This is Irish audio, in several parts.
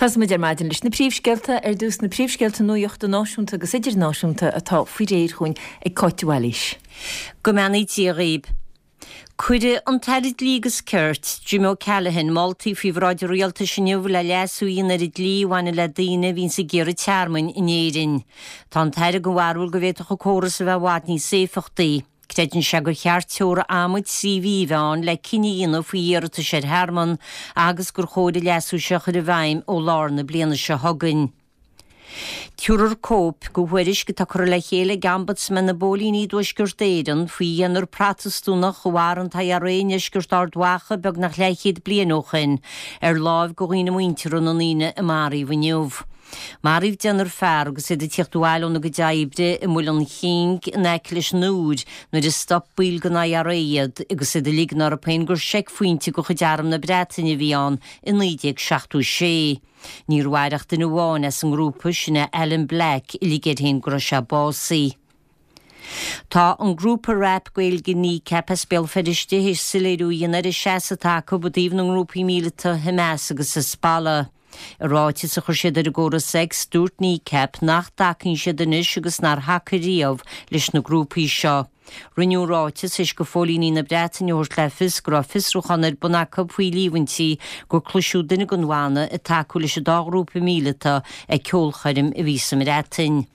Tosóimid ar maidin leis na príomhscéalta. Ar dtús, na príomhscéalta nuachta náisiúnta agus idirnáisiúnta atá faoi réir chugainn ag Cáit de Bhailís. Go mbeannaí Dia dhaoib. Cuirfidh an tAire Dlí agus Cirt, Jim O'Callaghan, moltaí faoi bhráid an Rialtais inniu le leasú a dhéanamh ar an dlí a bhaineann le daoine a bhíonns ag iarraidh tearmainn in Éirinn. Tá an tAire den bharúil go bhféadfadh an córas a bheith i bhfad níos éifeachtaí. Creideann sé gur cheart teora ama 3 mhí a bheith ann le cinneadh a dhéanamh faoi iarratais ar thearmann agus gur chóir an leasú seo a chur i bhfeidhm ó lár na bliana seo chugainn. Tabharfar cóip de thuairisc atá curtha le chéile ag Ombudsman na bPóilíní i dTuaisceart Éireann faoi dheichniúr Protastúnach a mharaigh an t-IRA i ndeisceart Ard Mhacha beagnach leathchéad bliain ó shin ar láimh do dhaoine muinteartha na ndaoine a maraíodh inniu. Maraíodh deichniúr fear agus iad ag tíocht abhaile óna gcuid oibre i Muileann Ching in aice leis an Iúr nuair a stop baill den IRA iad agus iad ag ligean orthu féin gur seicphointe de chuid Arm na Breataine a bhí ann i 1976. Níor mhair ach duine amháin as an ngrúpa, sin é Alan Black, a lig air féin go raibh sé básaithe. Tá an grúpa rap Gaeilge Kneecap as Béal Feirste théis soiléiriú a dhéanamh ar an seasamh atá acu i dtaobh na ngrúpaí míleata Hamas agus Hezbollah. I ráiteas a chuir siad ar an gcóras X, dúirt Kneecap nach dtacaíonn siad anois agus nár thacaigh riamh leis na grúpaí seo. Rinneadh an ráiteas théis do phóilíní na Breataine a thabhairt le fios go raibh fiosrúchán ar bun acu faoi líomhaintí gur cloiseadh duine den bhanna ag tacú leis an dá ghrúpa míleata ag ceolchoirm a bhí sa mBreatain.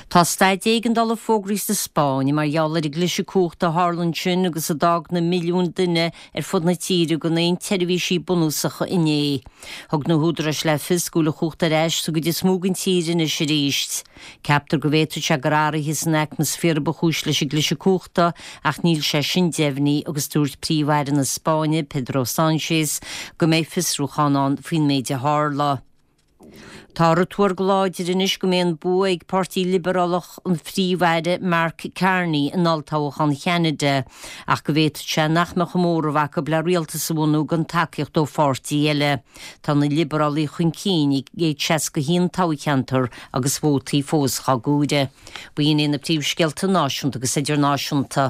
Tá staid éigeandála fógraithe sa Spáinn mar gheall ar an gcliseadh cumhachta a tharla ansin agus a d'fhág na milliúin duine ar fud na tíre gan aon tseirbhísí bunúsacha inné. Thug na húdaráis le fios go bhfuil an chumhacht ar ais sa gcuid is mó den tír anois arís. Ceaptar go bhféadfadh sé gur athruithe san atmaisféar a ba chúis leis an gcliseadh cumhachta ach níl sé sin deimhnithe agus dúirt Príomh-Aire na Spáinne, Pedro Sánchez, go mbeidh fiosrúchán ann faoin méid a tharla. Táthar ag tuar go láidir anois go mbeidh an bua ag Páirtí Liobrálach an Phríomh-Aire Mark Carney in olltoghchán Cheanada ach go bhféadfadh sé nach mbeadh an móramh acu le rialtas a bhunú gan tacaíocht ó pháirtí eile. Tá na Liobrálaigh chun cinn i 161 toghcheantar agus vótaí fós á gcomhaireamh. B'in iad na príomhscéalta náisiúnta agus idirnáisiúnta.